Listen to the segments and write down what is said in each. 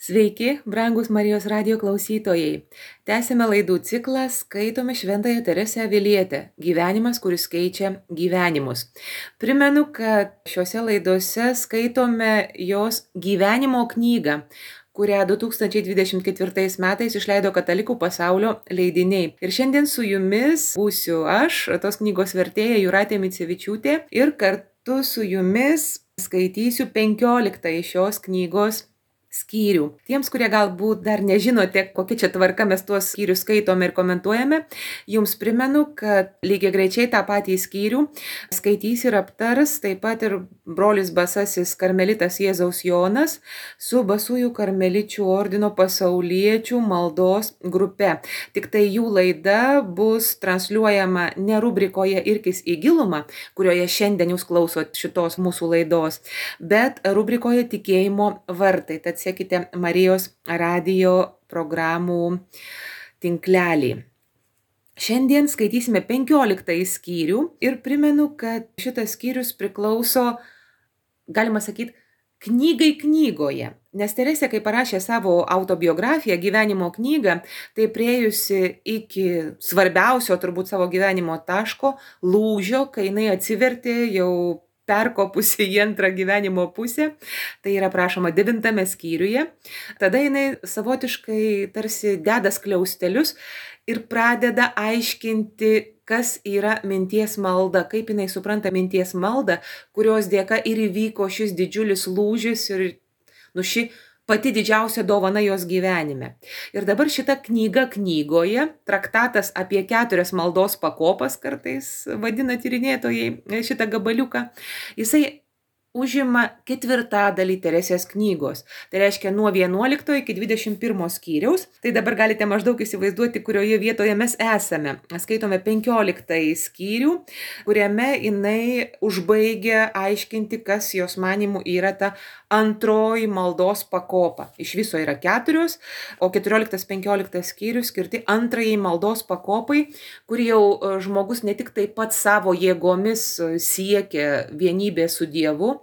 Sveiki, brangus Marijos radijo klausytojai. Tęsime laidų ciklą Skaitome Šventąją Teresę Avilietę – gyvenimas, kuris keičia gyvenimus. Primenu, kad šiuose laidose skaitome jos gyvenimo knygą, kurią 2024 metais išleido Katalikų pasaulio leidiniai. Ir šiandien su jumis būsiu aš, tos knygos vertėja Jūratė Micevičiūtė, ir kartu su jumis skaitysiu 15 šios knygos skyrių. Tiems, kurie galbūt dar nežinote, kokia čia tvarka mes tuos skyrius skaitome ir komentuojame, jums primenu, kad lygiai greičiai tą patį skyrių skaitys ir aptars taip pat ir brolis Basasis karmelitas Jėzaus Jonas su Basųjų karmeličių ordino pasauliečių maldos grupe. Tik tai jų laida bus transliuojama ne rubrikoje Irkis į gilumą, kurioje šiandien jūs klausot šitos mūsų laidos, bet rubrikoje Tikėjimo vartai. Tad sekite Marijos radijo programų tinklelį. Šiandien skaitysime 15 skyrių ir primenu, kad šitas skyrius priklauso, galima sakyti, knygai knygoje. Nes Teresė, kai parašė savo autobiografiją, gyvenimo knygą, tai priėjusi iki svarbiausio turbūt savo gyvenimo taško, lūžio, kai jinai atsivertė jau perkopusi į antrą gyvenimo pusę, tai yra prašoma 9 skyriuje, tada jinai savotiškai tarsi deda skliaustelius ir pradeda aiškinti, kas yra minties malda, kaip jinai supranta minties maldą, kurios dėka ir įvyko šis didžiulis lūžis ir ši pati didžiausia dovana jos gyvenime. Ir dabar šita knyga knygoje, traktatas apie 4 maldos pakopas, kartais vadina tyrinėtojai šitą gabaliuką, jisai užima 4/4 Teresės knygos. Tai reiškia nuo 11 iki 21 skyriaus. Tai dabar galite maždaug įsivaizduoti, kurioje vietoje mes esame. Skaitome 15 skyrių, kuriame jinai užbaigia aiškinti, kas jos manimų yra ta antroji maldos pakopa. Iš viso yra 4, o 14-15 skyrius skirti antrajai maldos pakopai, kur jau žmogus ne tik taip pat savo jėgomis siekia vienybė su Dievu,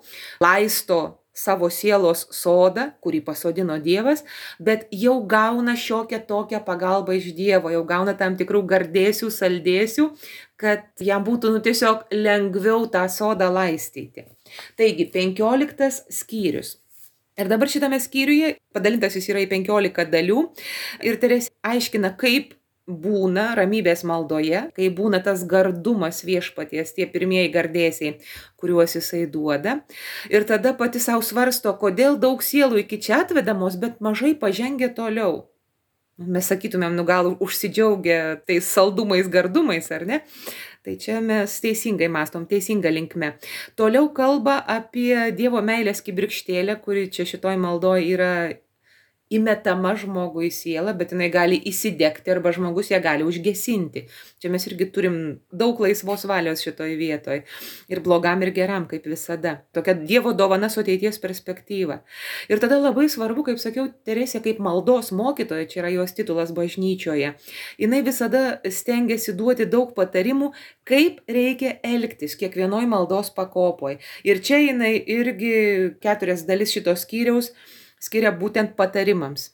laisto savo sielos sodą, kurį pasodino Dievas, bet jau gauna šiokią tokią pagalbą iš Dievo, jau gauna tam tikrų gardėsių, saldėsių, kad jam būtų tiesiog lengviau tą sodą laistyti. Taigi, 15 skyrius. Ir dabar šitame skyriuje, padalintas jis yra į 15 dalių, ir Teresė aiškina, kaip būna ramybės maldoje, kai būna tas gardumas viešpaties, tie pirmieji gardėsiai, kuriuos jisai duoda. Ir tada pati savo svarsto, kodėl daug sielų iki čia atvedamos, bet mažai pažengia toliau. Mes sakytumėm, gal užsidžiaugia tais saldumais, gardumais, ar ne? Tai čia mes teisingai mąstom, teisinga linkme. Toliau kalba apie Dievo meilės kibirkštėlę, kuri čia šitoj maldoj yra įmetama žmogui į sielą, bet jinai gali įsidegti arba žmogus ją gali užgesinti. Čia mes irgi turim daug laisvos valios šitoj vietoj. Ir blogam, ir geram, kaip visada. Tokia Dievo dovana su ateities perspektyva. Ir tada labai svarbu, kaip sakiau, Teresė kaip maldos mokytoja, čia yra jos titulas bažnyčioje. Jinai visada stengiasi duoti daug patarimų, kaip reikia elgtis kiekvienoj maldos pakopoj. Ir čia jinai irgi 4 dalis šitos skyriaus skiria būtent patarimams.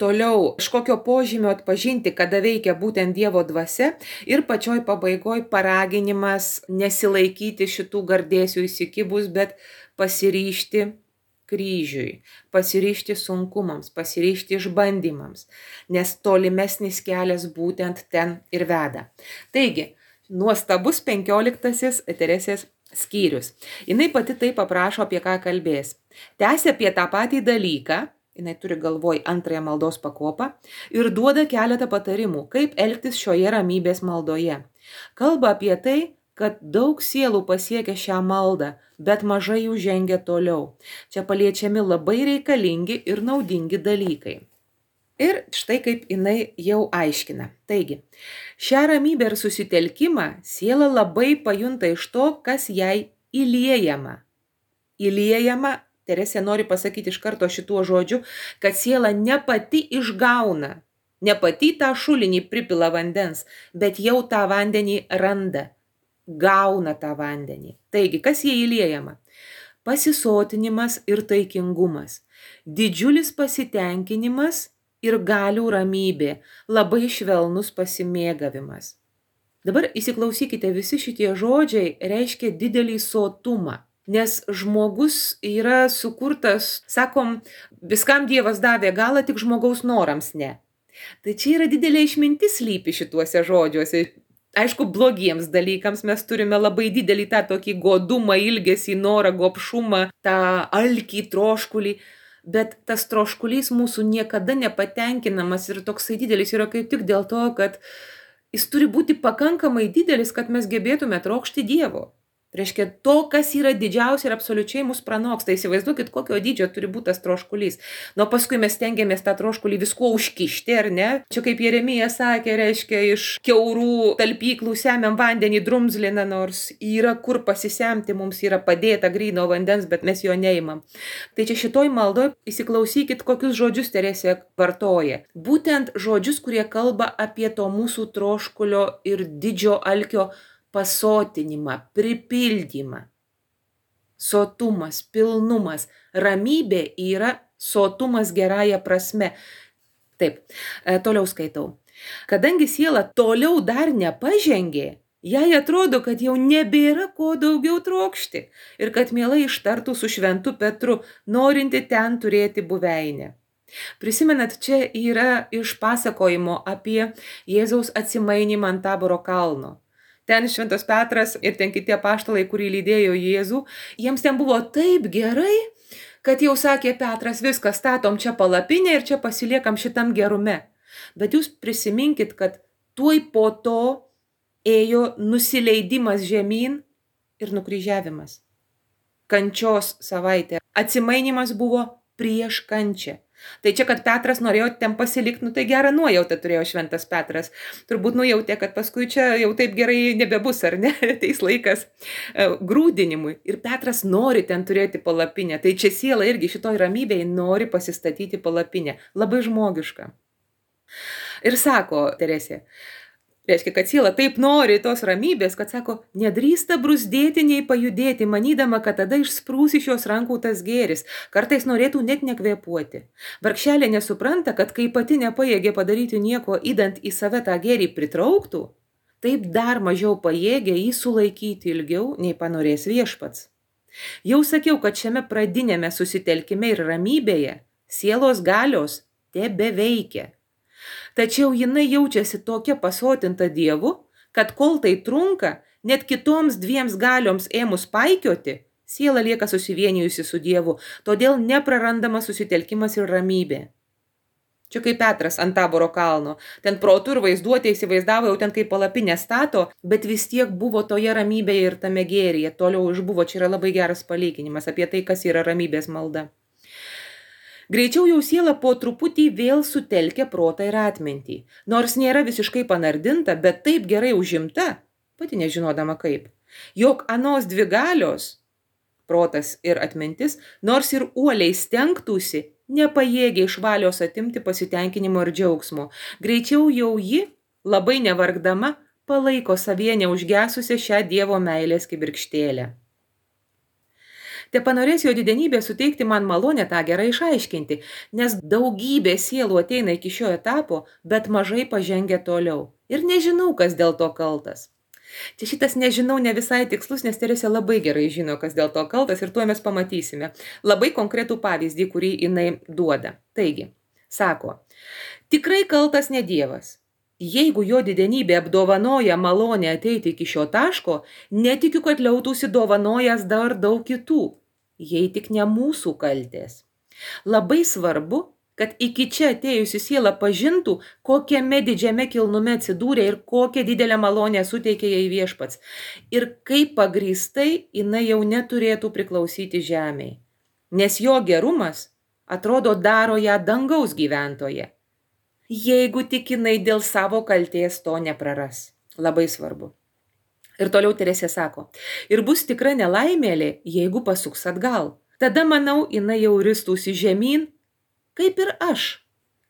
Toliau, iš kokio požymio atpažinti, kada veikia būtent Dievo dvasia, ir pačioj pabaigoj paraginimas nesilaikyti šitų gardėsių įsikibus, bet pasiryžti kryžiui, pasiryžti sunkumams, pasiryžti išbandymams, nes tolimesnis kelias būtent ten ir veda. Taigi, nuostabus 15 Teresės skyrius. Jinai pati taip aprašo, apie ką kalbės. Tęsia apie tą patį dalyką, jinai turi galvoj antrąją maldos pakopą, ir duoda keletą patarimų, kaip elgtis šioje ramybės maldoje. Kalba apie tai, kad daug sielų pasiekia šią maldą, bet mažai jų žengia toliau. Čia paliečiami labai reikalingi ir naudingi dalykai. Ir štai kaip jinai jau aiškina. Taigi, šią ramybę ir susitelkimą siela labai pajunta iš to, kas jai įliejama. Įliejama, Teresė nori pasakyti iš karto šituo žodžiu, kad siela ne pati išgauna, ne pati tą šulinį pripila vandens, bet jau tą vandenį randa, gauna tą vandenį. Taigi, kas jai įliejama? pasisotinimas ir taikingumas, didžiulis pasitenkinimas ir galių ramybė, labai švelnus pasimėgavimas. Dabar įsiklausykite, visi šitie žodžiai reiškia didelį sotumą, nes žmogus yra sukurtas, sakom, viskam Dievas davė galą, tik žmogaus norams ne. Tai čia yra didelė išmintis slypi šituose žodžiuose. Aišku, blogiems dalykams mes turime labai didelį tą tokį godumą, ilgesį, norą, gobšumą, tą alkį, troškulį, bet tas troškulys mūsų niekada nepatenkinamas ir toksai didelis yra kaip tik dėl to, kad jis turi būti pakankamai didelis, kad mes gebėtume trokšti Dievo. Reiškia, to, kas yra didžiausia ir absoliučiai mus pranoksta. Įsivaizduokit, kokio dydžio turi būti tas troškulys. Nu, paskui mes stengiamės tą troškulį viskuo užkišti, ar ne? Čia kaip Jeremija sakė, reiškia, iš kiaurų talpyklų semiam vandenį drumzliną, nors yra kur pasisemti, mums yra padėta gryno vandens, bet mes jo neimam. Tai čia šitoj maldoj įsiklausykit, kokius žodžius Teresė vartoja. Būtent žodžius, kurie kalba apie to mūsų troškulio ir didžio alkio pasotinimą, pripildymą. Sotumas, pilnumas, ramybė yra sotumas gerąja prasme. Taip, toliau skaitau. Kadangi siela toliau dar nepažengė, jai atrodo, kad jau nebėra ko daugiau trokšti ir kad mielai ištartų su šventu Petru, norinti ten turėti buveinę. Prisimenat, čia yra iš pasakojimo apie Jėzaus atsimainimą ant Taboro kalno. Ten šventas Petras ir ten kiti apaštalai, kurį lydėjo Jėzų, jiems ten buvo taip gerai, kad jau sakė Petras, viskas, statom čia palapinę ir čia pasiliekam šitam gerume. Bet jūs prisiminkit, kad tuoj po to ėjo nusileidimas žemyn ir nukryžiavimas. Kančios savaitė. Atsimainimas buvo prieš kančią. Tai čia, kad Petras norėjo ten pasilikti, nu tai gerą nuojautą turėjo šventas Petras. Turbūt nujautė, kad paskui čia jau taip gerai nebebus, ar ne? Ateis laikas grūdinimui. Ir Petras nori ten turėti palapinę. Tai čia siela irgi šitoj ramybėje nori pasistatyti palapinę. Labai žmogiška. Ir sako Teresė, reiškia, kad siela taip nori tos ramybės, kad sako, nedrįsta brūzdėti nei pajudėti, manydama, kad tada išsprūs iš jos rankų tas gėris. Kartais norėtų net nekvėpuoti. Vargšelė nesupranta, kad kai pati nepajėgė padaryti nieko, įdant į save tą gėrį pritrauktų, taip dar mažiau pajėgė jį sulaikyti ilgiau, nei panorės viešpats. Jau sakiau, kad šiame pradinėme susitelkime ir ramybėje sielos galios tebeveikia. Tačiau jinai jaučiasi tokia pasotinta Dievu, kad kol tai trunka, net kitoms dviems galioms ėmus paikioti, siela lieka susivienijusi su Dievu, todėl neprarandama susitelkimas ir ramybė. Čia kaip Petras ant Taboro kalno, ten protu ir vaizduotė įsivaizdavo jau ten kaip palapinę stato, bet vis tiek buvo toje ramybėje ir tame gėryje, toliau išbuvo, čia yra labai geras palyginimas apie tai, kas yra ramybės malda. Greičiau jau siela po truputį vėl sutelkia protą ir atmintį. Nors nėra visiškai panardinta, bet taip gerai užimta, pati nežinodama kaip. Jog anos dvi galios, protas ir atmintis, nors ir uoliai stengtųsi, nepajėgia iš valios atimti pasitenkinimo ir džiaugsmo. Greičiau jau ji, labai nevargdama, palaiko savyje neužgesusią šią Dievo meilės kibirkštėlę. Te panorės jo didenybė suteikti man malonę tą gerai išaiškinti, nes daugybė sielų ateina iki šio etapo, bet mažai pažengia toliau. Ir nežinau, kas dėl to kaltas. Čia šitas nežinau ne visai tikslus, nes Teresė labai gerai žino, kas dėl to kaltas ir tuo mes pamatysime. Labai konkretų pavyzdį, kurį jinai duoda. Taigi, sako, tikrai kaltas ne Dievas. Jeigu jo didenybė apdovanoja malonę ateiti iki šio taško, netikiu, kad liautųsi dovanojas dar daug kitų, jei tik ne mūsų kaltės. Labai svarbu, kad iki čia atėjusi siela pažintų, kokiame didžiame kilnume atsidūrė ir kokią didelę malonę suteikė jai viešpats. Ir kaip pagrįstai jinai jau neturėtų priklausyti žemei. Nes jo gerumas, atrodo, daro ją dangaus gyventoje. Jeigu tik jinai dėl savo kaltės to nepraras. Labai svarbu. Ir toliau Teresė sako, ir bus tikra nelaimėlė, jeigu pasuks atgal. Tada, manau, jinai jau ristųsi žemyn, kaip ir aš,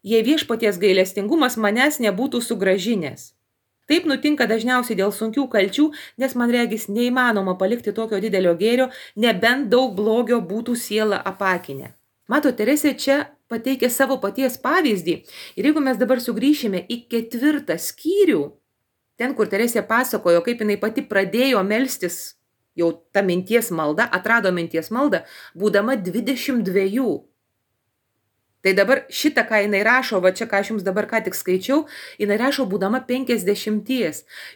jei viešpaties gailestingumas manęs nebūtų sugrąžinęs. Taip nutinka dažniausiai dėl sunkių kalčių, nes man regis neįmanoma palikti tokio didelio gėrio, nebent daug blogio būtų siela apakinę. Mato, Teresė čia pateikė savo paties pavyzdį. Ir jeigu mes dabar sugrįšime į 4 skyrių, ten, kur Teresė pasakojo, kaip jinai pati pradėjo melstis, jau ta minties malda, atrado minties maldą, būdama 22. Tai dabar šitą, ką jinai rašo, va čia, ką aš jums dabar ką tik skaičiau, jinai rašo būdama 50.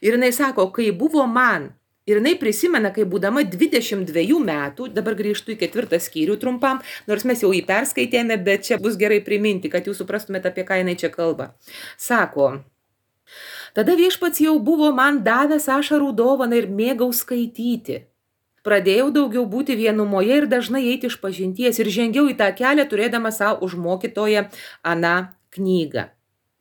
Ir jinai sako, kai buvo man, ir jinai prisimena, kai būdama 22 metų, dabar grįžtu į 4 skyrių trumpam, nors mes jau jį perskaitėme, bet čia bus gerai priminti, kad jūs suprastumėte, apie ką jinai čia kalba. Sako, tada Viešpats jau buvo man davęs ašarų dovaną ir mėgau skaityti. Pradėjau daugiau būti vienumoje ir dažnai eiti iš pažinties ir žengiau į tą kelią, turėdama savo už mokytoją aną knygą.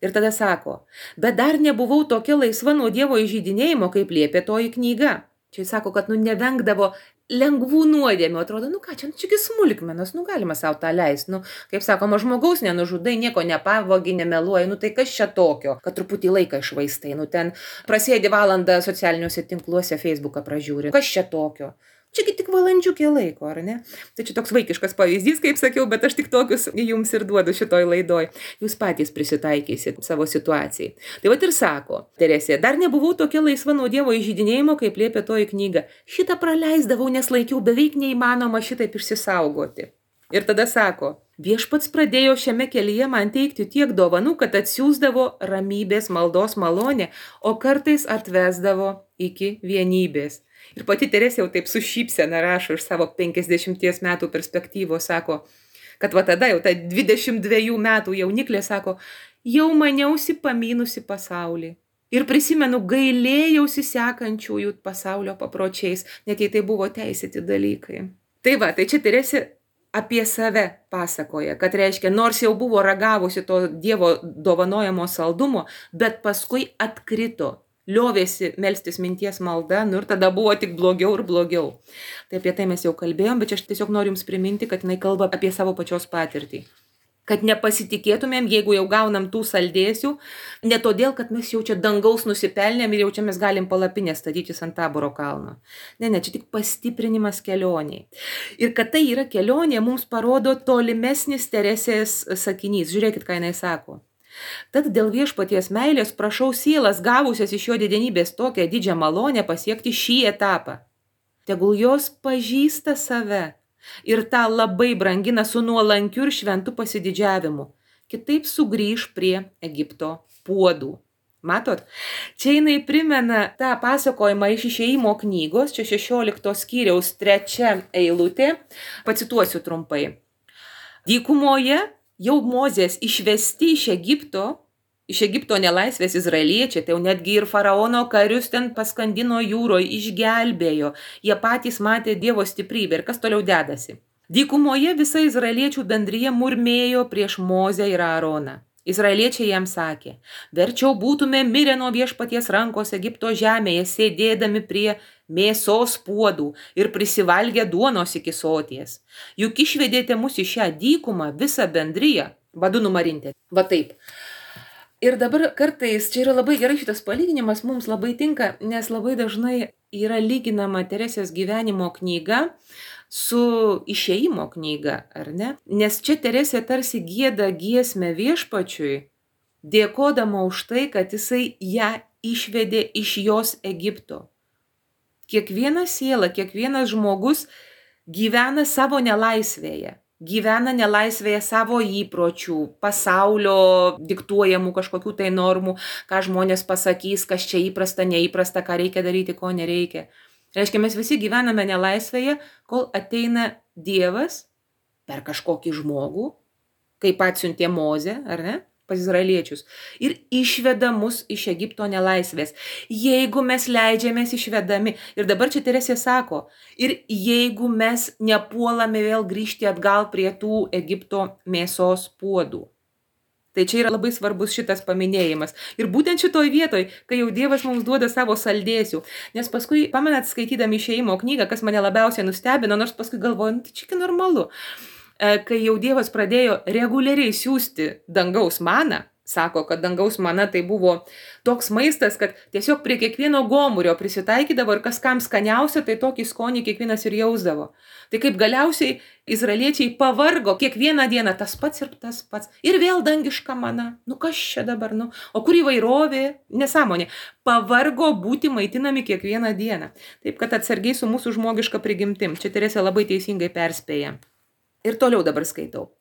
Ir tada sako, bet dar nebuvau tokia laisva nuo Dievo įžeidinėjimo, kaip liepė toji knyga. Čia jis sako, kad nevengdavo lengvų nuodėmių. Atrodo, ką čia smulkmenos, galima savo tą leisti. Kaip sakoma, žmogaus nenužudai, nieko nepavogi, nemeluoji, tai kas čia tokio, kad truputį laiką išvaistai, ten prasėdi valandą socialiniuose tinkluose, Facebooką pražiūri, kas čia tokio. Čiagi tik valandžiukė laiko, ar ne? Tai čia toks vaikiškas pavyzdys, kaip sakiau, bet aš tik tokius jums ir duodu šitoj laidoj. Jūs patys prisitaikysit savo situacijai. Tai vat ir sako, Teresė, dar nebuvau tokia laisva nuo Dievo įžeidinėjimo, kaip liepė toji knyga. Šitą praleisdavau, nes laikiau beveik neįmanoma šitaip išsisaugoti. Ir tada sako, Viešpats pradėjo šiame kelyje man teikti tiek dovanų, kad atsiųsdavo ramybės maldos malonę, o kartais atvesdavo iki vienybės. Ir pati Teresė jau taip su šypsena rašo iš savo 50 metų perspektyvos, sako, kad va tada jau ta 22 metų jauniklė sako, jau maniausi pamynusi pasaulį. Ir prisimenu, gailėjausi sekančiųjų pasaulio papročiais, net jei tai buvo teisėti dalykai. Tai va, tai čia Teresė apie save pasakoja, kad reiškia, nors jau buvo ragavusi to Dievo dovanojamo saldumo, bet paskui atkrito. Liovėsi melstis minties malda, ir tada buvo tik blogiau ir blogiau. Tai apie tai mes jau kalbėjom, bet aš tiesiog noriu jums priminti, kad jinai kalba apie savo pačios patirtį. Kad nepasitikėtumėm, jeigu jau gaunam tų saldėsių, ne todėl, kad mes jau čia dangaus nusipelnėm ir jau čia mes galim palapinę statytis ant Taboro kalno. Ne, čia tik pastiprinimas kelioniai. Ir kad tai yra kelionė, mums parodo tolimesnis Teresės sakinys. Žiūrėkit, ką jinai sako. Tad dėl Viešpaties meilės prašau sielas gavusias iš jo didenybės tokią didžią malonę pasiekti šį etapą. Tegul jos pažįsta save ir tą labai brangina su nuolankiu ir šventu pasididžiavimu. Kitaip sugrįž prie Egipto puodų. Matot, čia jinai primena tą pasakojimą iš Išėjimo knygos, čia 16 skyriaus 3 eilutė, pacituosiu trumpai. Dykumoje jau Mozės išvesti iš Egipto nelaisvės izraeliečiai, tai jau netgi ir faraono karius ten paskandino jūroje, išgelbėjo. Jie patys matė Dievo stiprybę. Ir kas toliau dedasi? Dykumoje visa izraeliečių bendrija murmėjo prieš Mozę ir Aaroną. Izraeliečiai jam sakė, verčiau būtume mirę nuo Viešpaties rankos Egipto žemėje, sėdėdami prie mėsos puodų ir prisivalgę duonos iki soties. Juk išvedėte mus į šią dykumą, visą bendriją, badu numarintė. Va taip. Ir dabar kartais, čia yra labai gerai šitas palyginimas, mums labai tinka, nes labai dažnai yra lyginama Teresės gyvenimo knyga su Išėjimo knyga, ar ne? Nes čia Teresė tarsi gieda giesmę Viešpačiui, dėkodama už tai, kad jisai ją išvedė iš jos Egipto. Kiekviena siela, kiekvienas žmogus gyvena savo nelaisvėje. Gyvena nelaisvėje savo įpročių, pasaulio diktuojamų kažkokių tai normų, ką žmonės pasakys, kas čia įprasta, neįprasta, ką reikia daryti, ko nereikia. Reiškia, mes visi gyvename nelaisvėje, kol ateina Dievas per kažkokį žmogų, kaip atsiuntė Mozę, ar ne, pas izraeliečius, ir išveda mus iš Egipto nelaisvės. Jeigu mes leidžiamės išvedami, ir dabar čia Teresė sako, ir jeigu mes nepuolame vėl grįžti atgal prie tų Egipto mėsos puodų. Tai čia yra labai svarbus šitas paminėjimas. Ir būtent šitoj vietoj, kai jau Dievas mums duoda savo saldėsių. Nes paskui, pamenat, skaitydami Išėjimo knygą, kas mane labiausiai nustebino, nors paskui galvoju, tai čia normalu. Kai jau Dievas pradėjo reguliariai siųsti dangaus maną, Sako, kad dangaus mana tai buvo toks maistas, kad tiesiog prie kiekvieno gomurio prisitaikydavo ir kas kam skaniausia, tai tokį skonį kiekvienas ir jausdavo. Tai kaip galiausiai izraeliečiai pavargo kiekvieną dieną tas pats ir tas pats. Ir vėl dangiška mana. Nu kas čia dabar, nu? O kur įvairovė? Nesąmonė. Pavargo būti maitinami kiekvieną dieną. Taip, kad atsargiai su mūsų žmogiška prigimtim. Čia Teresė labai teisingai perspėja. Ir toliau dabar skaitau.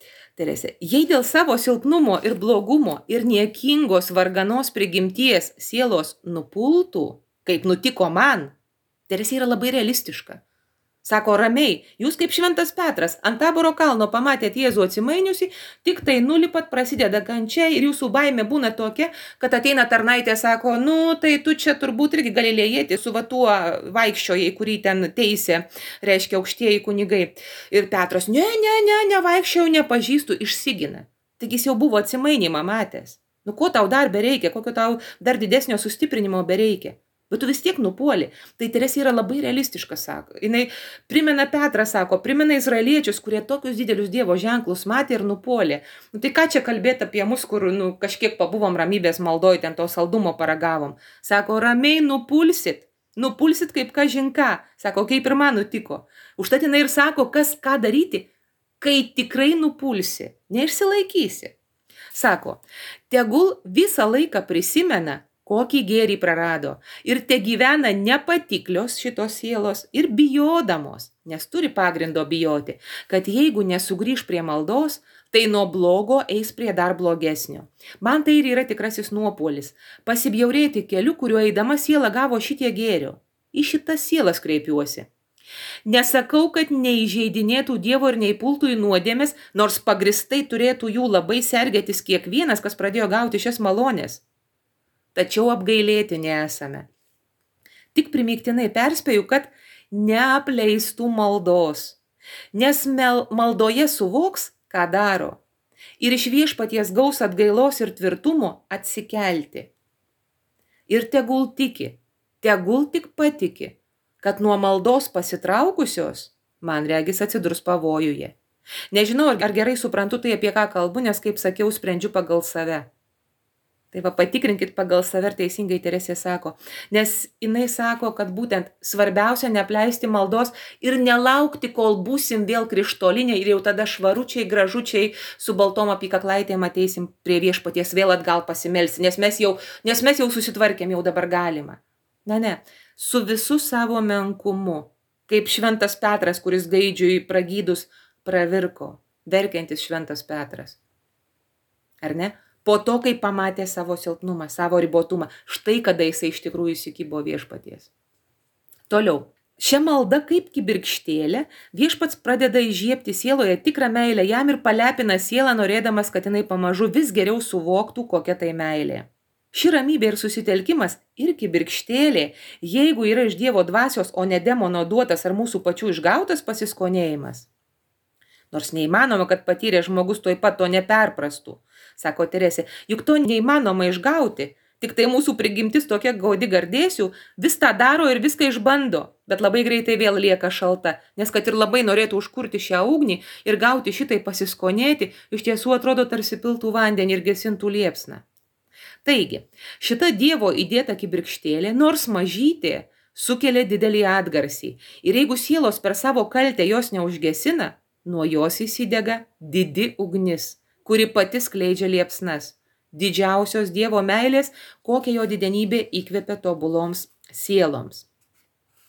Teresė, jei dėl savo silpnumo ir blogumo ir niekingos varganos prigimties sielos nupultų, kaip nutiko man, Teresė yra labai realistiška. Sako ramiai, jūs kaip šventas Petras ant Taboro kalno pamatėt Jėzų atsimainiusi, tik tai nulipat prasideda kančia ir jūsų baimė būna tokia, kad ateina tarnaitė, sako, nu tai tu čia turbūt irgi galilėjėti su va tuo vaikščiojai, kurį ten teisė, reiškia aukštieji kunigai. Ir Petras, ne, vaikščiau, nepažįstu, išsigina. Taigi jis jau buvo atsimainimą matęs. Nu ko tau dar bereikia, kokio tau dar didesnio sustiprinimo bereikia. Bet tu vis tiek nupuoli. Tai Teresė yra labai realistiška, sako. Jinai primena Petrą, sako, primena izraeliečius, kurie tokius didelius Dievo ženklus matė ir nupuolė. Nu tai ką čia kalbėti apie mus, kur kažkiek pabuvom ramybės maldoj, ten to saldumo paragavom. Sako, ramiai nupulsit. Nupulsit kaip kažinką. Sako, kaip ir man nutiko. Užtat jinai ir sako, kas ką daryti, kai tikrai nupulsi. Neišsilaikysi. Sako, tegul visą laiką prisimena, kokį gėrį prarado ir te gyvena nepatiklios šitos sielos ir bijodamos, nes turi pagrindo bijoti, kad jeigu nesugrįž prie maldos, tai nuo blogo eis prie dar blogesnio. Man tai ir yra tikrasis nuopuolis, pasibjaurėti keliu, kuriuo eidama siela gavo šitie gėrio. Į šitas sielas kreipiuosi. Nesakau, kad neįžeidinėtų Dievo ir neįpultų į nuodėmes, nors pagristai turėtų jų labai sergėtis kiekvienas, kas pradėjo gauti šias malonės. Tačiau apgailėti nesame. Tik primygtinai perspėju, kad neapleistų maldos, nes maldoje suvoks, ką daro, ir iš viešpaties gaus atgailos ir tvirtumo atsikelti. Ir tegul tik patiki, kad nuo maldos pasitraukusios, man regis atsidurs pavojuje. Nežinau, ar gerai suprantu tai, apie ką kalbu, nes, kaip sakiau, sprendžiu pagal save. Tai va, patikrinkit pagal save, teisingai Teresė sako, nes jinai sako, kad būtent svarbiausia neapleisti maldos ir nelaukti, kol būsim vėl krištoliniai ir jau tada švaručiai, gražučiai su baltom apykaklaitėm ateisim prie viešpaties vėl atgal pasimelsti, nes mes jau susitvarkėm, jau dabar galima. Ne, su visu savo menkumu, kaip šventas Petras, kuris gaidžiui pragydus pravirko, verkiantis šventas Petras. Ar ne? Po to, kai pamatė savo silpnumą, savo ribotumą, štai kada jisai iš tikrųjų įsikibo viešpaties. Toliau. Šią maldą kaip kibirkštėlę viešpats pradeda įžiebti sieloje tikrą meilę jam ir palepina sielą, norėdamas, kad jinai pamažu vis geriau suvoktų, kokia tai meilė. Ši ramybė ir susitelkimas ir kibirkštėlė, jeigu yra iš Dievo dvasios, o ne demono duotas ar mūsų pačių išgautas pasiskonėjimas. Nors neįmanoma, kad patyrė žmogus tuoj pat to neperprastų, sako Teresė, juk to neįmanoma išgauti, tik tai mūsų prigimtis tokia gaudi gardėsių, vis tą daro ir viską išbando, bet labai greitai vėl lieka šalta, nes kad ir labai norėtų užkurti šią ugnį ir gauti šitai pasiskonėti, iš tiesų atrodo tarsi piltų vandenį ir gesintų liepsną. Taigi, šita Dievo įdėta kibirkštėlė, nors mažytė, sukelia didelį atgarsį ir jeigu sielos per savo kaltę jos neužgesina, nuo jos įsidega didi ugnis, kuri pati skleidžia liepsnas, didžiausios Dievo meilės, kokią jo didenybė įkvepia tobuloms sieloms.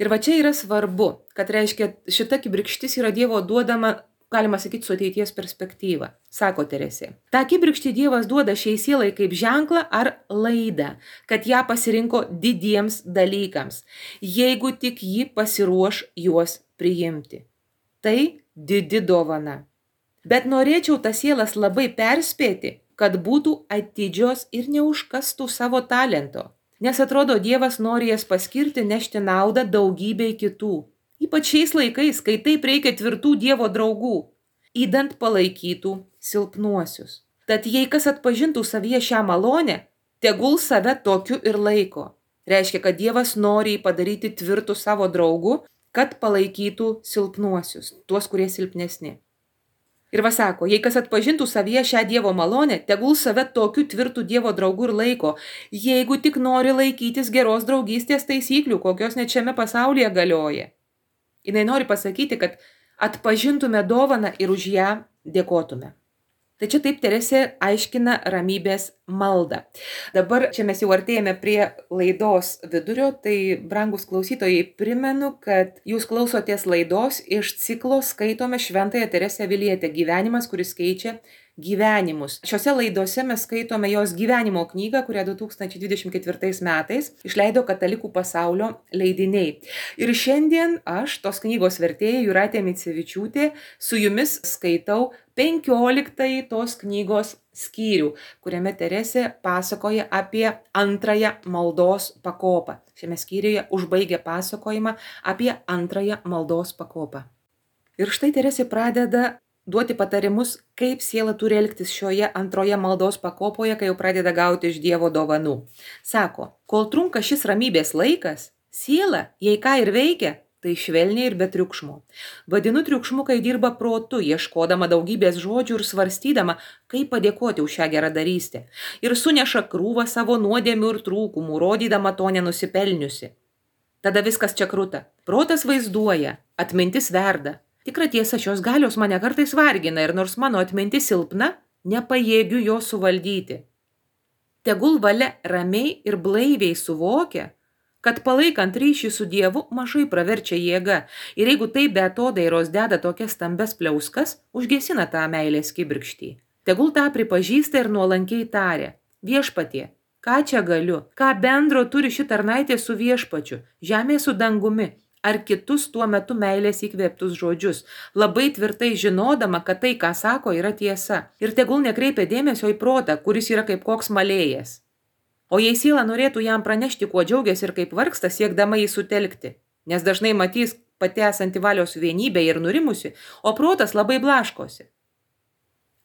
Ir va čia yra svarbu, kad reiškia šita kibirkštis yra Dievo duodama, galima sakyti, su ateities perspektyva, sako Teresė. Ta kibirkštį Dievas duoda šiai sielai kaip ženklą ar laidą, kad ją pasirinko didiems dalykams, jeigu tik ji pasiruoš juos priimti. Tai didi dovana. Bet norėčiau tas sielas labai perspėti, kad būtų atidžios ir neužkastų savo talento. Nes atrodo, Dievas nori jas paskirti nešti naudą daugybei kitų. Ypač šiais laikais, kai taip reikia tvirtų Dievo draugų, įdant palaikytų silpnuosius. Tad jei kas atpažintų savyje šią malonę, tegul save tokiu ir laiko. Reiškia, kad Dievas nori padaryti tvirtų savo draugų, kad palaikytų silpnuosius, tuos, kurie silpnesni. Ir va sako, jei kas atpažintų savyje šią Dievo malonę, tegul save tokiu tvirtų Dievo draugu ir laiko, jeigu tik nori laikytis geros draugystės taisyklių, kokios net šiame pasaulyje galioja. Jinai nori pasakyti, kad atpažintume dovaną ir už ją dėkotume. Tai čia taip Teresė aiškina ramybės maldą. Dabar čia mes jau artėjame prie laidos vidurio, tai brangus klausytojai, primenu, kad jūs klausotės laidos iš ciklo Skaitome Šventąją Teresę Avilietę – gyvenimas, kuris keičia gyvenimus. Šiose laidose mes skaitome jos gyvenimo knygą, kurią 2024 metais išleido Katalikų pasaulio leidiniai. Ir šiandien aš, tos knygos vertėja Jūratė Micevičiūtė, su jumis skaitau 15 tos knygos skyrių, kuriame Teresė pasakoja apie antrąją maldos pakopą. Šiame skyriuje užbaigia pasakojimą apie antrąją maldos pakopą. Ir štai Teresė pradeda duoti patarimus, kaip siela turi elgtis šioje antroje maldos pakopoje, kai jau pradeda gauti iš Dievo dovanų. Sako, kol trunka šis ramybės laikas, siela, jei ką ir veikia, tai švelniai ir be triukšmo. Vadinu triukšmu, kai dirba protu, ieškodama daugybės žodžių ir svarstydama, kaip padėkoti už šią geradarystę. Ir suneša krūvą savo nuodėmių ir trūkumų, rodydama to nenusipelniusi. Tada viskas čia kruta. Protas vaizduoja, atmintis verda. Tikra tiesa, šios galios mane kartais vargina ir nors mano atmintis silpna, nepajėgiu jo suvaldyti. Tegul valia ramiai ir blaiviai suvokia, kad palaikant ryšį su Dievu mažai praverčia jėga ir jeigu tai be atodairos deda tokias stambes pliauskas, užgesina tą meilės kibirkštį. Tegul tą pripažįsta ir nuolankiai taria. Viešpatie, ką čia galiu? Ką bendro turi ši tarnaitė su viešpačiu, žemė su dangumi? Ar kitus tuo metu meilės įkvėptus žodžius, labai tvirtai žinodama, kad tai, ką sako, yra tiesa. Ir tegul nekreipia dėmesio į protą, kuris yra kaip koks malėjas. O jei siela norėtų jam pranešti, kuo džiaugiasi ir kaip vargsta, siekdama jį sutelkti, nes dažnai matys pati esanti valios vienybė ir nurimusi, o protas labai blaškosi.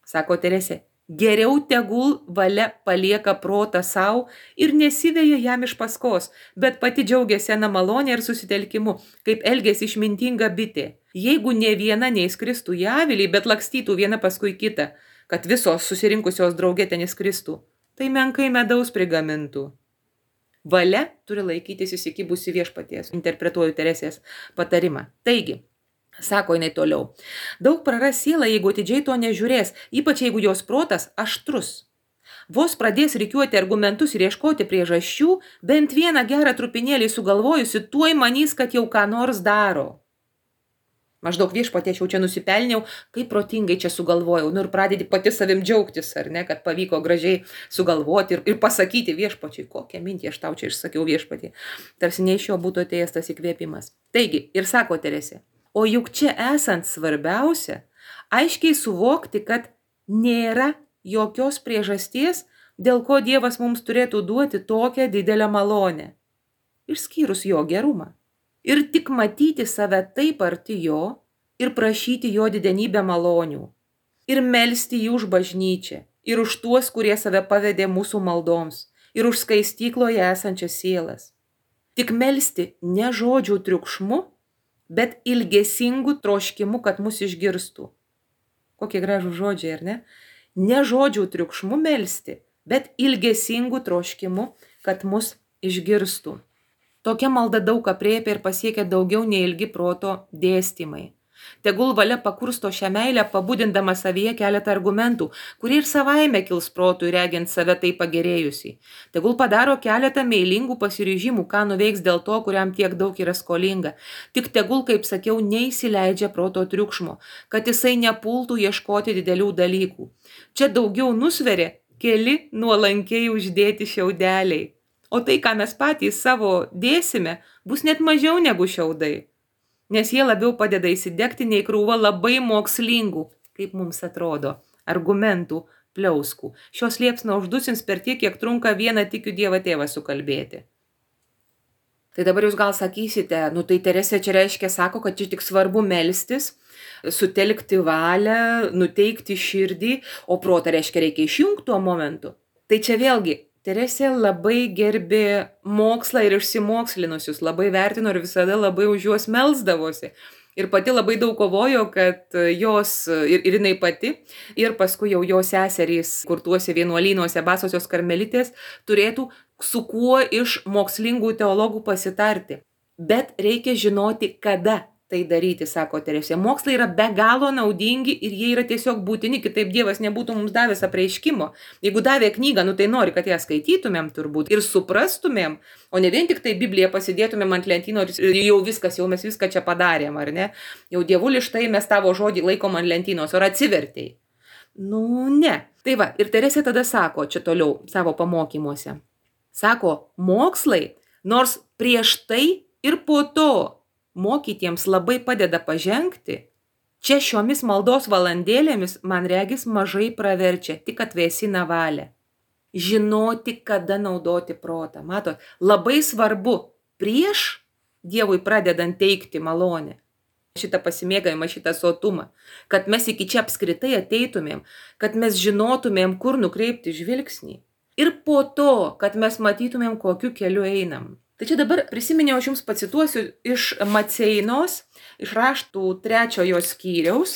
Sako Teresė, geriau tegul valia palieka protą savo ir nesiveja jam iš paskos, bet pati džiaugiasi sena malonė ir susitelkimu, kaip elgėsi išmintinga bitė. Jeigu ne viena neįskristų į avilį, bet lakstytų viena paskui kitą, kad visos susirinkusios draugė ten įskristų, tai menkai medaus prigamintų. Valia turi laikytis įsikibusi viešpaties, interpretuoju Teresės patarimą. Taigi, sako jinai toliau, daug praras siela, jeigu atidžiai to nežiūrės, ypač jeigu jos protas aštrus. Vos pradės rikiuoti argumentus ir ieškoti priežasčių, bent vieną gerą trupinėlį sugalvojusi, tuoj manys, kad jau ką nors daro. Maždaug viešpatie, aš jau čia nusipelniau, kaip protingai čia sugalvojau. Ir pradedi pati savim džiaugtis, ar ne, kad pavyko gražiai sugalvoti ir pasakyti viešpačiui, kokią mintį aš tau čia išsakiau viešpatie. Tarsi ne iš jo būtų atėjęs tas įkvėpimas. Taigi, ir sako Teresė, o juk čia esant svarbiausia, aiškiai suvokti, kad nėra jokios priežasties, dėl ko Dievas mums turėtų duoti tokią didelę malonę, išskyrus jo gerumą. Ir tik matyti save taip arti jo ir prašyti jo didenybę malonių. Ir melsti jį už bažnyčią, ir už tuos, kurie save pavedė mūsų maldoms, ir už skaistykloje esančias sielas. Tik melsti ne žodžių triukšmu, bet ilgesingų troškimų, kad mus išgirstų. Kokie gražų žodžiai, ar ne? Ne žodžių triukšmų melsti, bet ilgesingų troškimų, kad mus išgirstų. Tokia malda daug aprėpia ir pasiekia daugiau nei ilgi proto dėstymai. Tegul valia pakursto šią meilę, pabudindama savyje keletą argumentų, kurie ir savaime kils protui regint save taip pagerėjusiai. Tegul padaro keletą meilingų pasiryžimų, ką nuveiks dėl to, kuriam tiek daug yra skolinga. Tik tegul, kaip sakiau, neįsileidžia proto triukšmo, kad jisai nepultų ieškoti didelių dalykų. Čia daugiau nusveria keli nuolankiai uždėti šiaudeliai. O tai, ką mes patys savo dėsime, bus net mažiau negu šiaudai. Nes jie labiau padeda įsidegti nei krūva labai mokslingų, kaip mums atrodo, argumentų, pliauskų. Šios liepsna uždusins per tiek, kiek trunka vieną tikiu Dievą tėvą sukalbėti. Tai dabar jūs gal sakysite, tai Teresė čia reiškia, sako, kad čia tik svarbu melstis, sutelkti valią, nuteikti širdį, o protą reiškia reikia išjungti tuo momentu. Tai čia vėlgi, Teresė labai gerbė mokslą ir išsimokslinusius, labai vertino ir visada labai už juos melsdavosi. Ir pati labai daug kovojo, kad jos, ir jinai pati, ir paskui jau jos seserys, kur tuose vienuolynuose basosios karmelitės, turėtų su kuo iš mokslingų teologų pasitarti. Bet reikia žinoti, kada tai daryti, sako Teresė. Mokslai yra be galo naudingi ir jie yra tiesiog būtini, kitaip Dievas nebūtų mums davęs apreiškimo. Jeigu davė knygą, tai nori, kad ją skaitytumėm turbūt ir suprastumėm, o ne vien tik tai Bibliją pasidėtumėm ant lentynos ir jau viskas, jau mes viską čia padarėm, ar ne? Jau Dievuli, štai mes tavo žodį laikom ant lentynos, ar atsivertėjai? Ne. Tai va, ir Teresė tada sako, čia toliau savo pamokymuose. Sako, mokslai, nors prieš tai ir po to mokytiems labai padeda pažengti, čia šiomis maldos valandėlėmis, man regis, mažai praverčia, tik atvėsina valią. Žinoti, kada naudoti protą. Matot, labai svarbu prieš Dievui pradedant teikti malonę, šitą pasimėgavimą, šitą sotumą, kad mes iki čia apskritai ateitumėm, kad mes žinotumėm, kur nukreipti žvilgsnį. Ir po to, kad mes matytumėm, kokiu keliu einam. Tai čia dabar prisiminiau, aš jums pacituosiu iš Maceinos, iš raštų 3 skyriaus,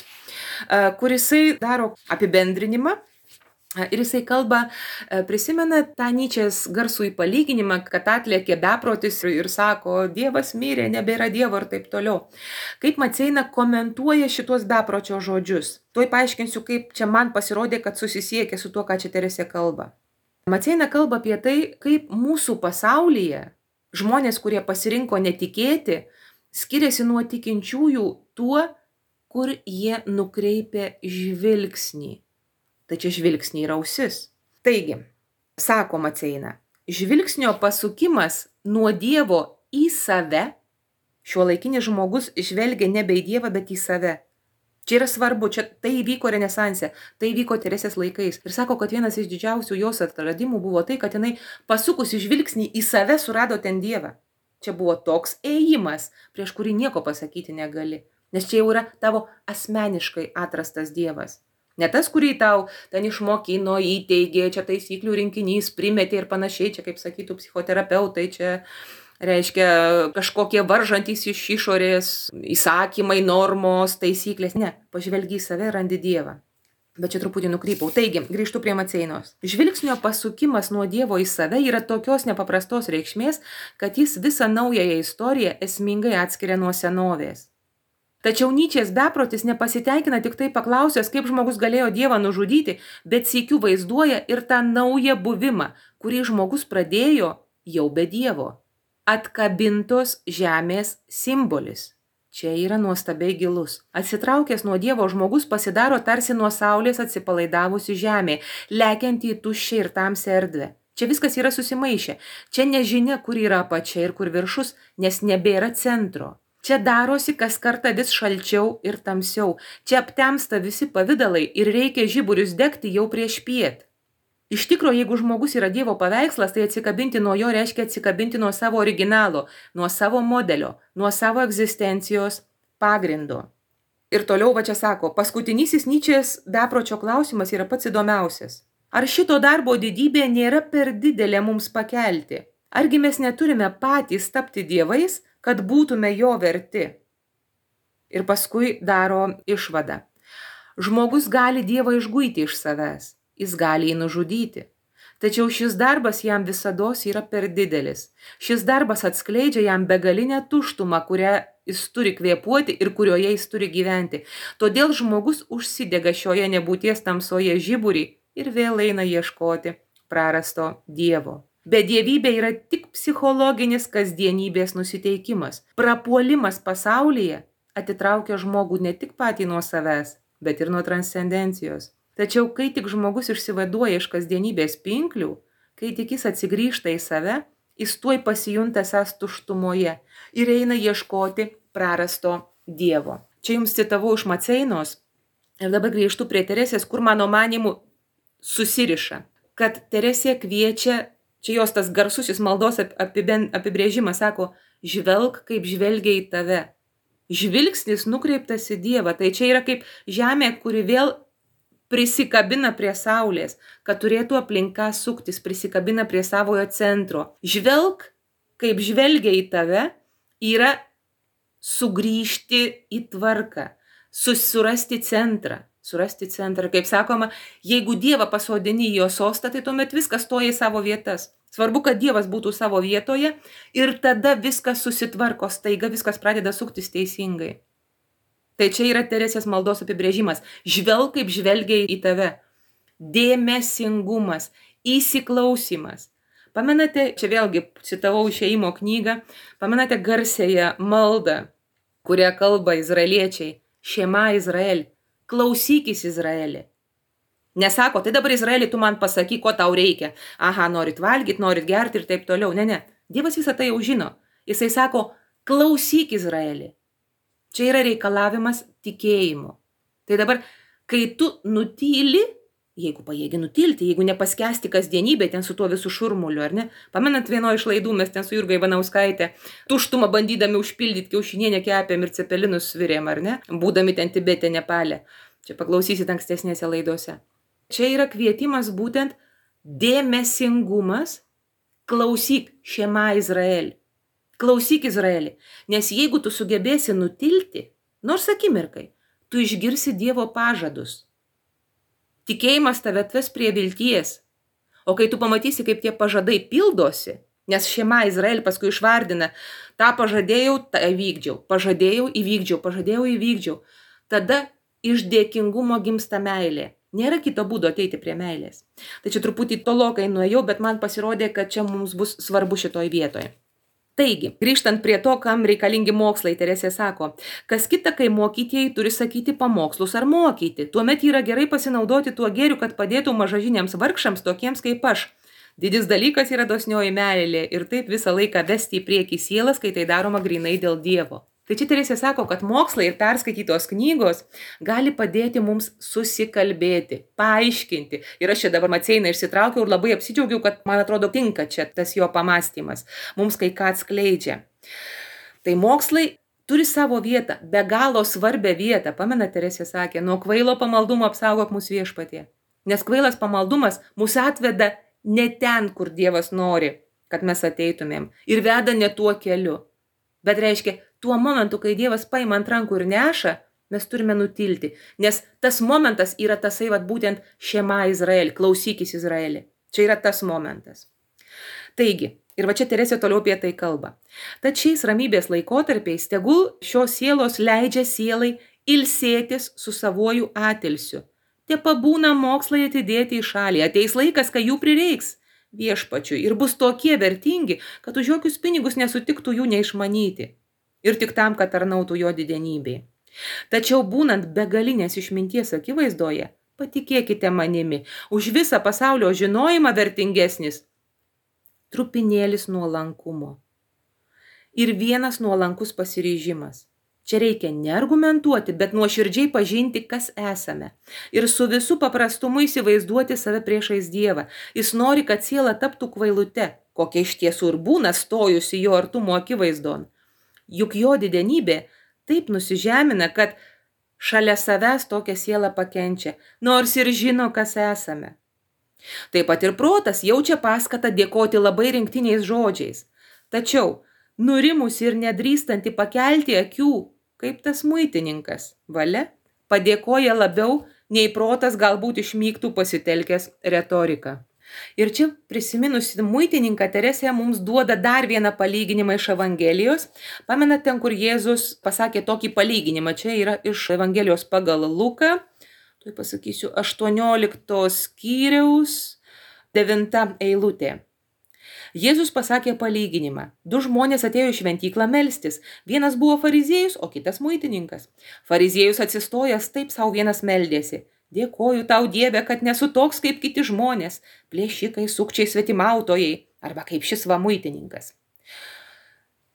kur jisai daro apibendrinimą ir jisai kalba, prisimena tą Nyčės garsų palyginimą, kad atlėkė beprotis ir sako, Dievas mirė, nebėra Dievo ir taip toliau. Kaip Maceina komentuoja šitos bepročio žodžius. Tuoj paaiškinsiu, kaip čia man pasirodė, kad susisiekė su tuo, ką čia Teresė kalba. Maceina kalba apie tai, kaip mūsų pasaulyje žmonės, kurie pasirinko netikėti, skiriasi nuo tikinčiųjų tuo, kur jie nukreipia žvilgsnį. Tai čia žvilgsnį ir ausis. Taigi, sako Maceina, žvilgsnio pasukimas nuo Dievo į save, šiuolaikinis žmogus žvelgia nebe į Dievą, bet į save. Čia yra svarbu, čia tai įvyko Renesanse, tai įvyko Teresės laikais. Ir sako, kad vienas iš didžiausių jos atradimų buvo tai, kad jinai pasukusi žvilgsnį į save surado ten Dievą. Čia buvo toks ėjimas, prieš kurį nieko pasakyti negali. Nes čia jau yra tavo asmeniškai atrastas Dievas. Ne tas, kurį tau ten išmokino, įteigė, čia taisyklių rinkinys, primetė ir panašiai, čia kaip sakytų psichoterapeutai, čia reiškia kažkokie varžantys iš išorės, įsakymai, normos, taisyklės. Ne, pažvelgi į save, randi Dievą. Bet čia truputį nukrypau. Taigi, grįžtu prie Maceinos. Žvilgsnio pasukimas nuo Dievo į save yra tokios nepaprastos reikšmės, kad jis visą naująją istoriją esmingai atskiria nuo senovės. Tačiau Nyčės beprotis nepasiteikina tik tai paklausęs, kaip žmogus galėjo Dievą nužudyti, bet sykiu vaizduoja ir tą naują buvimą, kurį žmogus pradėjo jau be Dievo. Atkabintos žemės simbolis. Čia yra nuostabiai gilus. Atsitraukęs nuo Dievo žmogus pasidaro tarsi nuo saulės atsipalaidavusi žemė, lekianti į tuščią ir tamsią erdvę. Čia viskas yra susimaišę. Čia nežinia, kur yra apačia ir kur viršus, nes nebėra centro. Čia darosi kas kartą vis šalčiau ir tamsiau. Čia aptemsta visi pavidalai ir reikia žiburius degti jau prieš piet. Iš tikro, jeigu žmogus yra Dievo paveikslas, tai atsikabinti nuo jo reiškia atsikabinti nuo savo originalo, nuo savo modelio, nuo savo egzistencijos pagrindo. Ir toliau va čia sako, paskutinysis Nyčės bepročio klausimas yra pats įdomiausias. Ar šito darbo didybė nėra per didelė mums pakelti? Argi mes neturime patys tapti dievais, kad būtume jo verti? Ir paskui daro išvadą. Žmogus gali Dievą išguiti iš savęs. Jis gali jį nužudyti. Tačiau šis darbas jam visados yra per didelis. Šis darbas atskleidžia jam begalinę tuštumą, kurią jis turi kvėpuoti ir kurioje jis turi gyventi. Todėl žmogus užsidega šioje nebūties tamsoje žiburį ir vėl eina ieškoti prarasto Dievo. Bedievybė yra tik psichologinis kasdienybės nusiteikimas. Prapuolimas pasaulyje atitraukia žmogų ne tik patį nuo savęs, bet ir nuo transcendencijos. Tačiau, kai tik žmogus išsivaduoja iš kasdienybės pinklių, kai tik jis atsigrįžta į save, jis tuoj pasijunta esąs tuštumoje ir eina ieškoti prarasto Dievo. Čia jums citavau iš Maceinos ir dabar grįžtu prie Teresės, kur mano manimu susiriša. Kad Teresė kviečia, čia jos tas garsusis maldos apibrėžimas, sako, žvelk, kaip žvelgia į tave. Žvilgsnis nukreiptas į Dievą. Tai čia yra kaip žemė, kuri vėl prisikabina prie saulės, kad turėtų aplinka suktis, prisikabina prie savojo centro. Žvelk, kaip žvelgia į tave, yra sugrįžti į tvarką, surasti centrą. Surasti centrą. Kaip sakoma, jeigu Dievą pasodini į jo sostą, tai tuomet viskas stoja į savo vietas. Svarbu, kad Dievas būtų savo vietoje ir tada viskas susitvarko, staiga viskas pradeda suktis teisingai. Tai čia yra Teresės maldos apibrėžimas. Žvelk, kaip žvelgia į tave. Dėmesingumas, įsiklausimas. Pamenate, čia vėlgi citavau Išėjimo knygą, pamenate garsiąją maldą, kurią kalba izraeliečiai. Šema Izrael, klausykis Izraelį. Nesako, tai dabar Izraelį tu man pasakyk, ko tau reikia. Aha, norit valgyti, norit gerti ir taip toliau. Ne. Dievas visą tai jau žino. Jisai sako, klausyk Izraelį. Čia yra reikalavimas tikėjimo. Tai dabar, kai tu nutyli, jeigu pajėgi nutilti, jeigu nepaskesti kasdienybė ten su tuo visų šurmuliu, ar ne? Pamenant vieno iš laidų, mes ten su Jurga Ivanauskaitė tuštumą bandydami užpildyti kiaušinienę kepėm ir cepelinus svirėm, ar ne? Būdami ten Tibete, Nepale. Čia paklausysit ankstesnėse laidose. Čia yra kvietimas būtent dėmesingumas, klausyk Šema Izrael. Klausyk Izraelį, nes jeigu tu sugebėsi nutilti, nors akimirkai, tu išgirsi Dievo pažadus. Tikėjimas tave atves prie vilties, o kai tu pamatysi, kaip tie pažadai pildosi, nes Šema Izrael paskui išvardina, tą pažadėjau, tą įvykdžiau, pažadėjau, įvykdžiau, tada iš dėkingumo gimsta meilė. Nėra kito būdo ateiti prie meilės. Tai čia truputį tolokai nuėjau, bet man pasirodė, kad čia mums bus svarbu šitoj vietoje. Taigi, grįžtant prie to, kam reikalingi mokslai, Teresė sako, kas kita, kai mokytieji turi sakyti pamokslus ar mokyti, tuomet yra gerai pasinaudoti tuo gėriu, kad padėtų mažažiniams vargšams tokiems kaip aš. Didis dalykas yra dosnioji meilė ir taip visą laiką vesti į priekį sielas, kai tai daroma grinai dėl Dievo. Tai čia Teresė sako, kad mokslai ir perskaitytos knygos gali padėti mums susikalbėti, paaiškinti. Ir aš čia dabar Maceiną išsitraukiau ir labai apsidžiaugiau, kad man atrodo tinka čia tas jo pamąstymas. Mums kai ką atskleidžia. Tai mokslai turi savo vietą, be galo svarbią vietą. Pamena, Teresė sakė, nuo kvailo pamaldumo apsaugok mūsų Viešpatie. Nes kvailas pamaldumas mus atveda ne ten, kur Dievas nori, kad mes ateitumėm. Ir veda ne tuo keliu. Bet reiškia, tuo momentu, kai Dievas paima ant rankų ir neša, mes turime nutilti. Nes tas momentas yra tasai, būtent Šema Izrael, klausykis Izraelį. Čia yra tas momentas. Taigi, ir čia Teresė toliau apie tai kalba. Tad šiais ramybės laikotarpiais tegul šios sielos leidžia sielai ilsėtis su savuoju atilsiu. Te pabūna mokslai atidėti į šalį. Ateis laikas, kai jų prireiks Viešpačiui ir bus tokie vertingi, kad už jokius pinigus nesutiktų jų neišmanyti. Ir tik tam, kad tarnautų jo didenybei. Tačiau būnant begalinės išminties akivaizdoje, patikėkite manimi, už visą pasaulio žinojimą vertingesnis trupinėlis nuolankumo. Ir vienas nuolankus pasiryžimas. Čia reikia neargumentuoti, bet nuoširdžiai pažinti, kas esame. Ir su visu paprastumu įsivaizduoti save priešais Dievą. Jis nori, kad siela taptų kvailute, kokia iš tiesų ir būna stojusi jo artumo akivaizdon. Juk jo didenybė taip nusižemina, kad šalia savęs tokią sielą pakenčia, nors ir žino, kas esame. Taip pat ir protas jaučia paskatą dėkoti labai rinktiniais žodžiais. Tačiau, nurimusi ir nedrįstanti pakelti akių, kaip tas muitininkas, valia, padėkoja labiau, nei protas galbūt išmygtų pasitelkęs retoriką. Ir čia prisiminusi muitininką Teresė mums duoda dar vieną palyginimą iš Evangelijos. Pamenat ten, kur Jėzus pasakė tokį palyginimą. Čia yra iš Evangelijos pagal Luką. Tuoj pasakysiu 18 skyriaus 9 eilutė. Jėzus pasakė palyginimą. 2 žmonės atėjo į šventyklą melstis. Vienas buvo fariziejus, o kitas muitininkas. Fariziejus atsistojęs taip sau vienas meldėsi. Dėkoju tau, Dieve, kad nesu toks kaip kiti žmonės, plėšikai, sukčiai, svetimautojai, arba kaip šis muitininkas.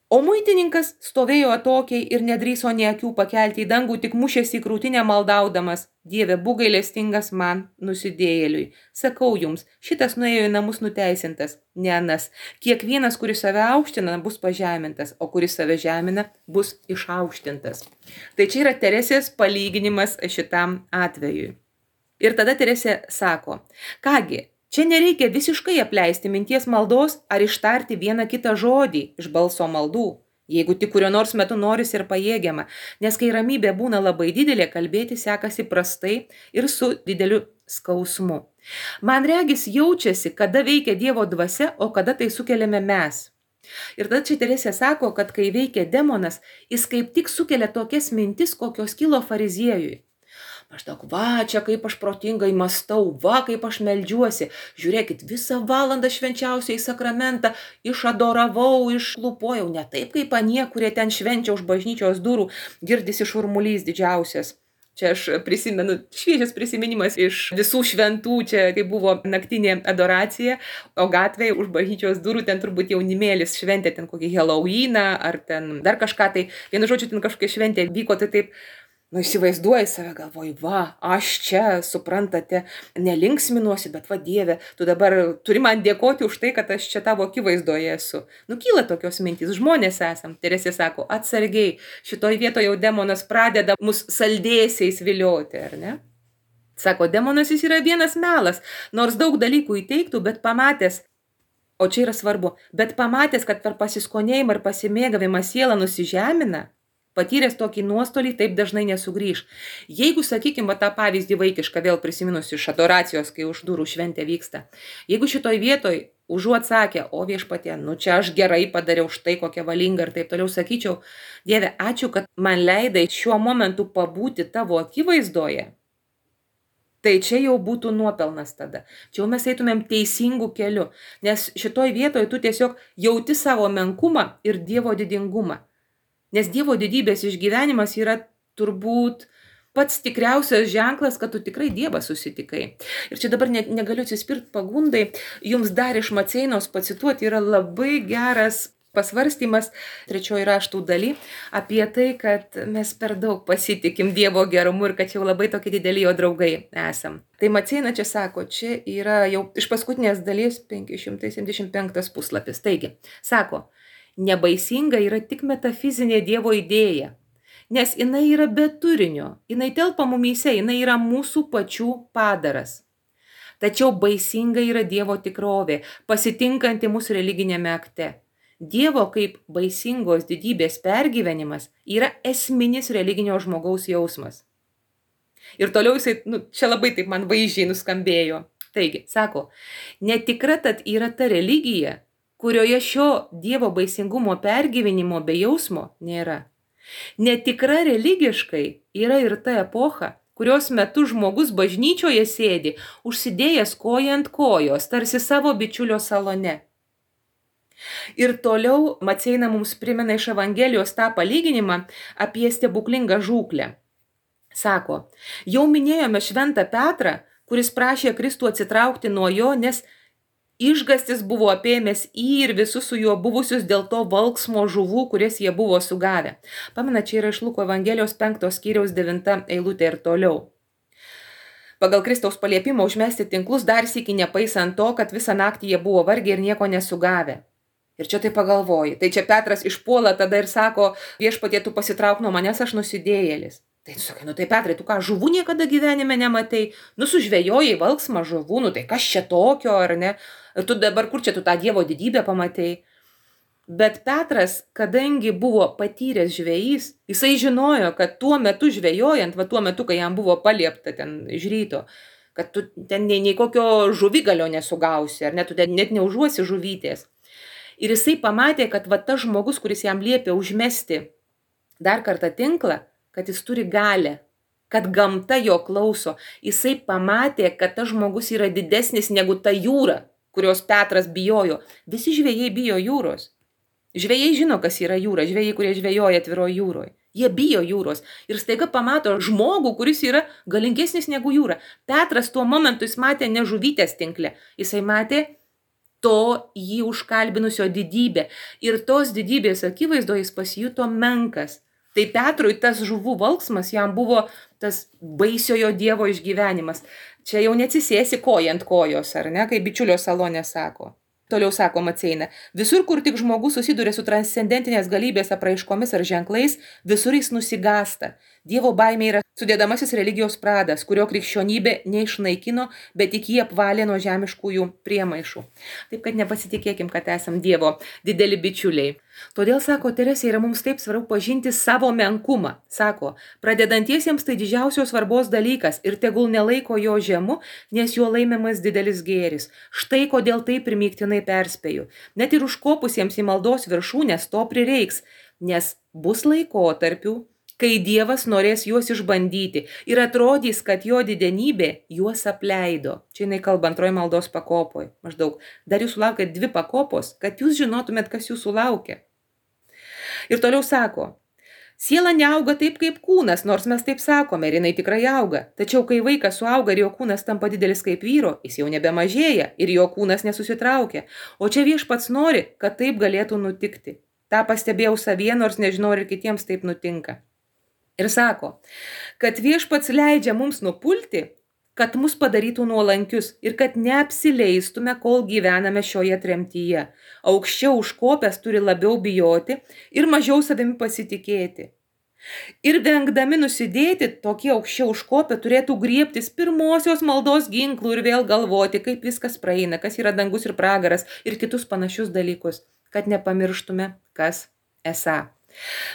O muitininkas stovėjo atokiai ir nedrįso nė akių pakelti į dangų, tik mušėsi į krūtinę maldaudamas. Dieve, būk gailestingas man, nusidėjėliui. Sakau jums, šitas nuėjo į namus nuteisintas, ne anas. Kiekvienas, kuris save aukština, bus pažemintas, o kuris save žemina, bus išaukštintas. Tai čia yra Teresės palyginimas šitam atvejui. Ir tada Teresė sako, kągi, čia nereikia visiškai apleisti minties maldos ar ištarti vieną kitą žodį iš balso maldų. Jeigu tik kurio nors metu norisi ir pajėgiama, nes kai ramybė būna labai didelė, kalbėti sekasi prastai ir su dideliu skausmu. Man regis jaučiasi, kada veikia Dievo dvasia, o kada tai sukeliame mes. Ir tada čia Teresė sako, kad kai veikia demonas, jis kaip tik sukelia tokias mintis, kokios kilo fariziejui. Maždaug, va, čia kaip aš protingai mąstau, va, kaip aš meldžiuosi. Žiūrėkit, visą valandą švenčiausiai sakramentą išadoravau, išlupojau, ne taip kaip anie, kurie ten švenčia už bažnyčios durų, girdisi šurmulys didžiausias. Čia aš prisimenu, šviežias prisiminimas iš visų šventų, čia kai buvo naktinė adoracija, o gatvėje už bažnyčios durų ten turbūt jaunimėlis šventė ten kokį Halloweeną ar ten dar kažką, tai vienu žodžiu ten kažkokia šventė vyko, tai taip, įsivaizduoji save, galvoji, va, aš čia, suprantate, nelinksminuosi, bet va Dieve, tu dabar turi man dėkoti už tai, kad aš čia tavo akivaizdoje esu. Kyla tokios mintys, žmonės esam. Teresė sako, atsargiai, šitoj vietoje jau demonas pradeda mus saldėsiais vilioti, ar ne? Sako, demonas jis yra vienas melas, nors daug dalykų įteiktų, bet pamatęs, o čia yra svarbu, bet pamatęs, kad per pasiskonėjimą ir pasimėgavimą sielą nusižemina, patyręs tokį nuostolį, taip dažnai nesugrįž. Jeigu, sakykime, tą pavyzdį vaikišką, vėl prisiminus iš adoracijos, kai už durų šventė vyksta, jeigu šitoj vietoj užuot sakė, o viešpatie, čia aš gerai padariau štai kokią valingą ir taip toliau sakyčiau, Dieve, ačiū, kad man leidai šiuo momentu pabūti tavo akivaizdoje, tai čia jau būtų nuopelnas tada. Čia jau mes eitumėm teisingų kelių, nes šitoj vietoj tu tiesiog jauti savo menkumą ir Dievo didingumą. Nes Dievo didybės išgyvenimas yra turbūt pats tikriausias ženklas, kad tu tikrai Dievą susitikai. Ir čia dabar negaliu atsispirti pagundai, jums dar iš Maceinos pacituoti yra labai geras pasvarstymas 3 raštų daly apie tai, kad mes per daug pasitikim Dievo gerumu ir kad jau labai tokie dideli jo draugai esam. Tai Maceina čia sako, čia yra jau iš paskutinės dalies 575 puslapis. Taigi, sako, nebaisinga yra tik metafizinė Dievo idėja, nes jinai yra be turinio, jinai telpa mumyse, jinai yra mūsų pačių padaras. Tačiau baisinga yra Dievo tikrovė, pasitinkanti mūsų religinėme akte. Dievo kaip baisingos didybės pergyvenimas yra esminis religinio žmogaus jausmas. Ir toliau jisai, čia labai taip man vaizdžiai nuskambėjo. Taigi, sako, netikra tad yra ta religija, kurioje šio Dievo baisingumo pergyvenimo be jausmo nėra. Netikra religiškai yra ir ta epocha, kurios metu žmogus bažnyčioje sėdi, užsidėjęs koją ant kojos, tarsi savo bičiulio salone. Ir toliau Maceina mums primena iš Evangelijos tą palyginimą apie stebuklingą žūklę. Sako, jau minėjome šventą Petrą, kuris prašė Kristų atsitraukti nuo jo, nes išgastis buvo apėmęs ir visus su juo buvusius dėl to valksmo žuvų, kurias jie buvo sugavę. Pamena, čia yra iš Luko Evangelijos 5 skyriaus 9 eilutė ir toliau. Pagal Kristaus paliepimą užmesti tinklus dar sykį nepaisant to, kad visą naktį jie buvo vargę ir nieko nesugavę. Ir čia tai pagalvoji. Tai čia Petras išpuola tada ir sako, viešpatie, tu pasitrauk nuo manęs, aš nusidėjėlis. Tai tu sakai, tai Petrai, tu ką, žuvų niekada gyvenime nematai? Sužvejojai valksmą žuvų, tai kas čia tokio, ar ne? Ir tu dabar kur čia tu tą Dievo didybę pamatei? Bet Petras, kadangi buvo patyręs žvejys, jisai žinojo, kad tuo metu žvejojant, tuo metu, kai jam buvo paliepta ten iš ryto, kad tu ten nei kokio žuvigalio nesugausi, ar ne, tu net neužuosi žuvytės. Ir jisai pamatė, kad tas žmogus, kuris jam liepė užmesti dar kartą tinklą, kad jis turi galę, kad gamta jo klauso. Jisai pamatė, kad tas žmogus yra didesnis negu ta jūra, kurios Petras bijojo. Visi žvejai bijo jūros. Žvejai žino, kas yra jūra, žvejai, kurie žvejoja atviroje jūroje. Jie bijo jūros ir staiga pamato žmogų, kuris yra galingesnis negu jūra. Petras tuo momentu jis matė ne žuvytės tinkle, jisai matė to jį užkalbinusio didybę. Ir tos didybės akivaizdoje jis pasijuto menkas. Tai Petrui tas žuvų valksmas jam buvo tas baisiojo Dievo išgyvenimas. Čia jau neatsisėsi koją ant kojos, ar ne, kaip bičiulio salone sako. Toliau sako Maceina, visur, kur tik žmogus susiduria su transcendentinės galybės apraiškomis ar ženklais, visur jis nusigasta. Dievo baimė yra sudėdamasis religijos pradas, kurio krikščionybė neišnaikino, bet tik jį apvalė nuo žemiškųjų priemaišų. Taip kad nepasitikėkim, kad esam Dievo dideli bičiuliai. Todėl, sako Teresė, yra mums taip svarbu pažinti savo menkumą. Sako, pradedantiesiems tai didžiausios svarbos dalykas ir tegul nelaiko jo žemu, nes juo laimiamas didelis gėris. Štai kodėl taip primygtinai perspėju. Net ir užkopusiems į maldos viršūnės to prireiks, nes bus laikotarpių, kai Dievas norės juos išbandyti ir atrodys, kad jo didenybė juos apleido. Čia jinai kalba antroji maldos pakopoj. Maždaug, dar jūs sulaukėt 2 pakopos, kad jūs žinotumėt, kas jūsų laukia. Ir toliau sako, siela neauga taip kaip kūnas, nors mes taip sakome, ir jinai tikrai auga. Tačiau kai vaikas suauga ir jo kūnas tampa didelis kaip vyro, jis jau nebemažėja ir jo kūnas nesusitraukia. O čia Viešpats nori, kad taip galėtų nutikti. Ta pastebėjau savyje, nors nežinau, ir kitiems taip nutinka. Ir sako, kad Viešpats leidžia mums nupulti, kad mus padarytų nuolankius ir kad neapsileistume, kol gyvename šioje tremtyje. Aukščiau užkopęs turi labiau bijoti ir mažiau savimi pasitikėti. Ir vengdami nusidėti, tokie aukščiau užkopę turėtų griebtis pirmosios maldos ginklų ir vėl galvoti, kaip viskas praeina, kas yra dangus ir pragaras ir kitus panašius dalykus, kad nepamirštume, kas esą.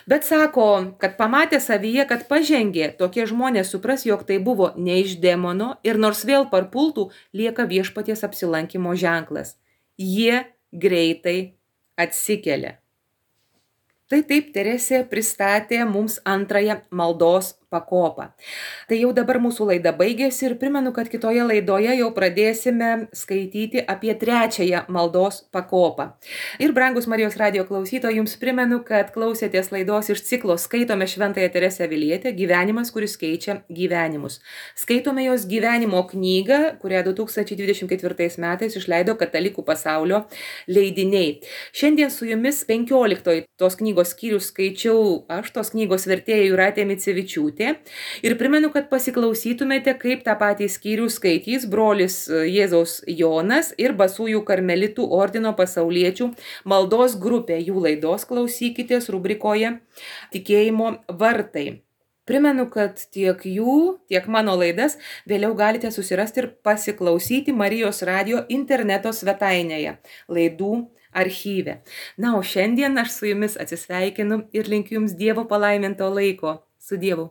Bet sako, kad pamatė savyje, kad pažengė, tokie žmonės supras, jog tai buvo ne iš demono ir nors vėl parpultų, lieka Viešpaties apsilankimo ženklas. Jie greitai atsikelia. Tai taip Teresė pristatė mums antrąją maldos pakopą. Tai jau dabar mūsų laida baigėsi ir primenu, kad kitoje laidoje jau pradėsime skaityti apie trečiąją maldos pakopą. Ir brangus Marijos radijo klausytojai, jums primenu, kad klausėtės laidos iš ciklo Skaitome Šventąją Teresę Avilietę, gyvenimas, kuris keičia gyvenimus. Skaitome jos gyvenimo knygą, kurią 2024 metais išleido Katalikų pasaulio leidiniai. Šiandien su jumis 15 tos knygos skyrius skaičiau aš, tos knygos vertėja Jūratė Micevičiūtė. Ir primenu, kad pasiklausytumėte, kaip tą patį skyrių skaitys brolis Jėzaus Jonas ir Basųjų karmelitų ordino pasauliečių maldos grupė. Jų laidos klausykitės rubrikoje Tikėjimo vartai. Primenu, kad tiek jų, tiek mano laidas vėliau galite susirasti ir pasiklausyti Marijos radijo interneto svetainėje laidų archyve. Na, o šiandien aš su jumis atsisveikinu ir linkiu jums Dievo palaiminto laiko. Su Dievu.